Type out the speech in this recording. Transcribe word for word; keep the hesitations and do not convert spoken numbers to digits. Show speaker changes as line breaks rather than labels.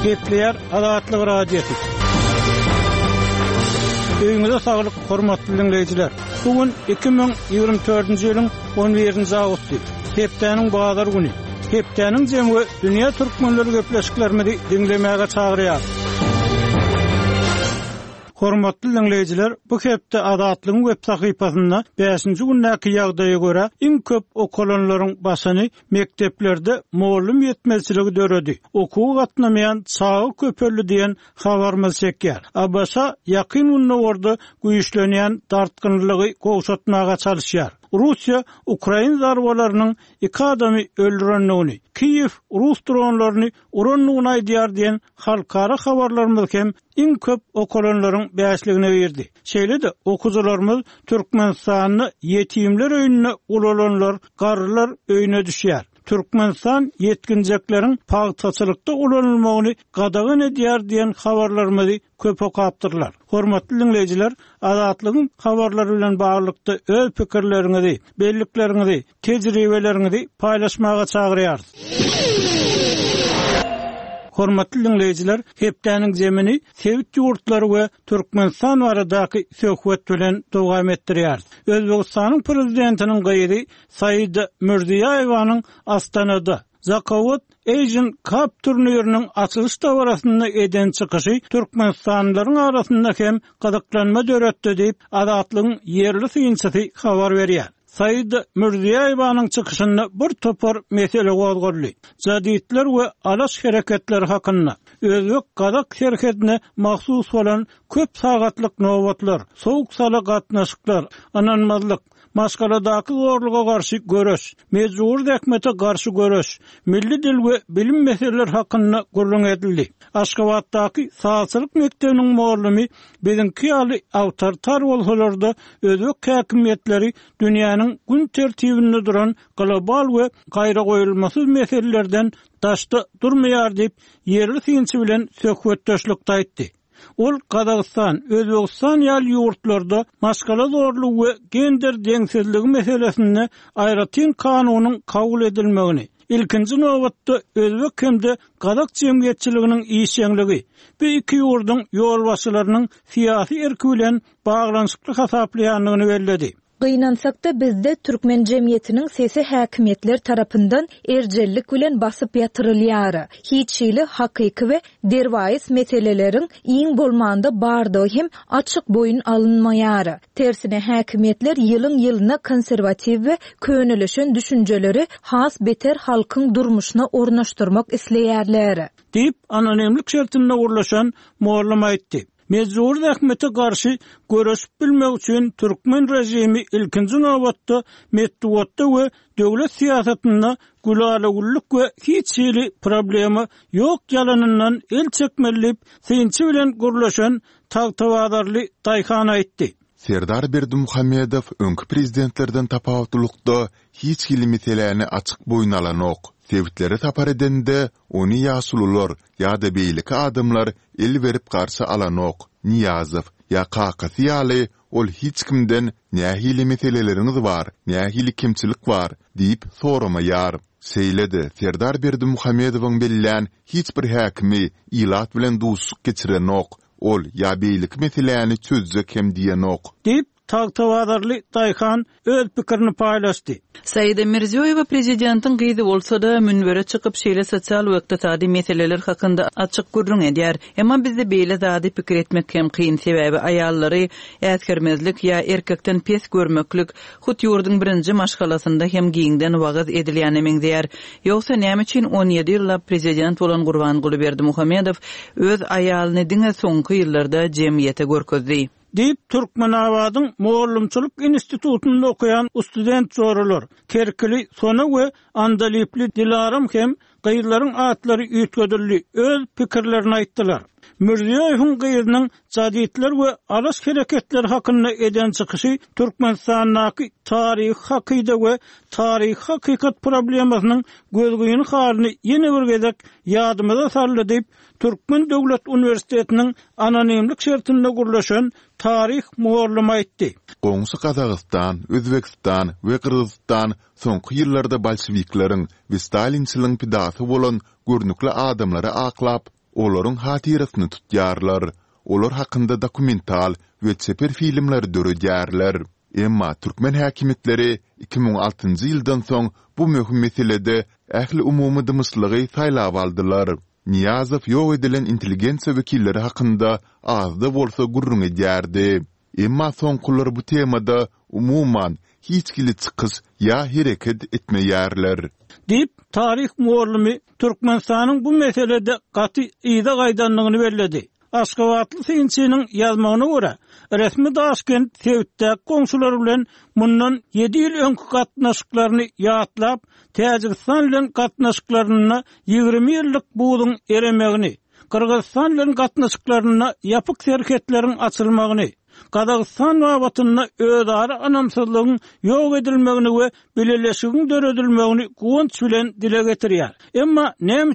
Gepleýär Azatlyk Radiosy. Öýüňize saglyk, hormatly diňleýjiler. Bu gün iki müň ýigrimi dördünji ýylyň on birinji awgusty, hepdäniň bazar güni. Hepdäniň jemi we dünýä türkmenleri gepleşiklerimizi diňlemäge çagyrýar. Hormatly diňleýjiler, bu hepde Azatlygyň web sahypasynda bäşinji gündäki ýagdaýa görä iň köp okalanlaryň başyny mekdeplerde mugallym ýetmezçiligi döredi. Okuwa gatnamaýan çaga köpeldi diýen habarymyz çekýär. A B Ş ýakyn günlerde güýçlenýän dartgynlygy gowşatmaga çalyşýar. Russiýa Ukraina zarbalarynyň iki adamy öldürendigini, Kiýew rus dronlaryny urandygyny aýdýar diýen halkara habarlarymyz hem iň köp okalanlaryň bäşligine girdi. Şeýle-de okuwçylarymyz Türkmenistanda ýetimler öýünde ulalanlar, garrylar öýüne düşýär. Türkmenistan ýetginjekleriň pagtaçylykda ulanylmagyny gadagan edýär diýen habarlarymyzy köp okapdyrlar. Hormatly diňleýjiler, Azatlygyň habarlary bilen baglylykda öz pikirleriňizi, bellikleriňizi, tejribeleriňizi paýlaşmaga çagyrýarys. Hormatly diňleýjiler, hepdäniň zemini sebit ýurtlary we Türkmenistan baradaky söhbet bilen dowam etdirýär. Özbekistanyň prezidentiniň gyzy Saida Mirziýoýewanyň Astanada Zakawat Asian Cup turniriniň açylyş dabarasynda eden çykyşy Türkmenistanlylaryň arasynda hem gyzyklanma döretdi diýip, Azatlygyň ýerli synçysy habar berýär. Saida Mirziýoýewanyň çykyşynda bir topar mesele gozgaldy. Jadidler we alaş hereketleri hakynda, Özbek-Gazak serhedine mahsus bolan köp sagatlyk nobatlar, soğuk sala gatnaşyklar, ynanmazlyk, maşgaladaky zorluga garşy göreş, mejbur zähmete garşy göreş, milli dil we bilim meseleleri hakynda gürrüň edildi. Aşgabatdaky sazçylyk mekdebiniň mugallymy biziňki ýaly awtoritar bolsalar-da özbek häkimiýetleri dünýäniň gün tertibinde duran global we gaýragoýulmasyz meselelerden daşda durmaýar diýip, ýerli synçy bilen söhbetdeşlikde aýtdy. Ol Gazagystan, Özbegistan ýaly ýurtlarda maşgala zorlugy we gender deňsizligi meselesinde aýratyn kanunyň kabul edilmegini, ilkinji nobatda özbek hem-de gazak jemgyýetçiliginiň işjeňligi, bu iki ýurduň ýolbaşçylarynyň syýasy erki bilen baglanyşykly hasaplaýandygyny belledi.
Gynansak-da bizde türkmen jemgyýetiniň sesi häkimiýetler tarapyndan erjellik bilen basyp ýatyrylýar. Hiç hili hakyky we derwaýys meseleleriň iň bolmanda bardygy hem açyk boýun alynmaýar. Tersine häkimiýetler ýylyň-ýylyna konserwatiw we könelişen düşünjeleri has beter halkyň durmuşyna ornaşdyrmak isleýärler.
Diýip, anonimlik şertinde gurlaşan mugallym aýtdy. Mejbur zähmete garşy göreşip bilmek üçin türkmen rejimi ilkinji nobatda metbugatda we döwlet syýasatynda gülala-güllük we hiç hili problema ýok ýalanyndan el çekmeli diýip, synçy bilen gürleşen Tagtabazarly Daýhan aýtdy.
Serdar Berdimuhamedow öňki prezidentlerden tapawutlylykda hiç hili meseläni açyk boýun alanok. Sebitlere sapar edende ony ýaşulular ýa-da beýleki adamlar el berip garşy alanok. Niýazow ýa kakasy ýaly ol hiç kimden nähili meseleleriňiz bar, nähili kemçilik bar diýip soramaýar. Şeýle-de Serdar Berdimuhamedowyň bellän hiç bir häkimi ilat bilen duşuşyk geçirenok. Ol ýa beýleki meseläni çözjek hem diýenok.
Diýip, Tagtabazarly Daýhan öz pikirini paýlaşdy.
Saida Mirziýoýewa prezidentiň gyzy bolsa-da münbere çykyp şeýle sosial we ykdysady meseleler hakynda açyk gürrüň edýär. Emma bizde beýle zady pikir etmek hem kyn, sebäbi aýallary äsgermezlik ýa erkekden pes görmeklik hut ýurduň birinji maşgalasynda hem giňden wagyz edilýäne meňzeýär. Ýogsa näme üçin on ýedi ýyllap prezident bolan Gurbanguly Berdimuhamedow öz aýalyny diňe soňky ýyllarda jemgyýete görkezdi?
Diýip, Türkmenabadyň Mugallymçylyk institutynda okaýan student joralar, Kerkili Sona we Andalipli Dilaram hem gyzlaryň atlary üýtgedildi, öz pikirlerini aýtdylar. Mirziýoýewiň gyzynyň jadidler we alaş hereketleri hakynda eden çykyşy Türkmenistandaky taryhy hakyda we taryhy hakykat problemasynyň gözgyny halyny ýene bir gezek ýadymyza saldy diýip, Türkmen Döwlet Uniwersitetiniň anonimlik şertinde gurlaşan taryh mugallymy aýtdy.
Goňşy Gazagystan, Özbegistan we Gyrgyzystan soňky ýyllarda bolşewikleriň we stalinçiligiň pidasy bolan görnükli adamlary aklap, Olaryň hatyrasyny tutýarlar. Olar hakynda dokumental we çeper filmleri döredýärler. Emma türkmen häkimiýetleri iki müň altynjy ýyldan soň bu möhüm meselede ähliumumy dymyşlygy saýlap aldylar. Nyýazow ýok edilen intelligensiýa wekilleri hakynda azda bolsa gürrüň edýärdi. Emma soňkular bu temada, umuman, hiç hili çykyş ýa hereket etmeýärler.
Diýip, taryh mugallymy Türkmenistanyň bu meselede gaty yza gaýdandygyny belledi. Aşgabatly synçynyň ýazmagyna görä, resmi Daşkent sebitdäki goňşulary bilen mundan ýedi ýyl öňki gatnaşyklaryny ýatlap, Täjigistan bilen gatnaşyklarynda ýigrimi ýyllyk buzuň eremegini, Gyrgyzystan bilen gatnaşyklarynda ýapyk serhetleriň açylmagyny, Gazagystan babatynda özara ynamsyzlygyň ýok edilmegini we bileleşigiň döredilmegini guwanç bilen dile getirýär. Emma näme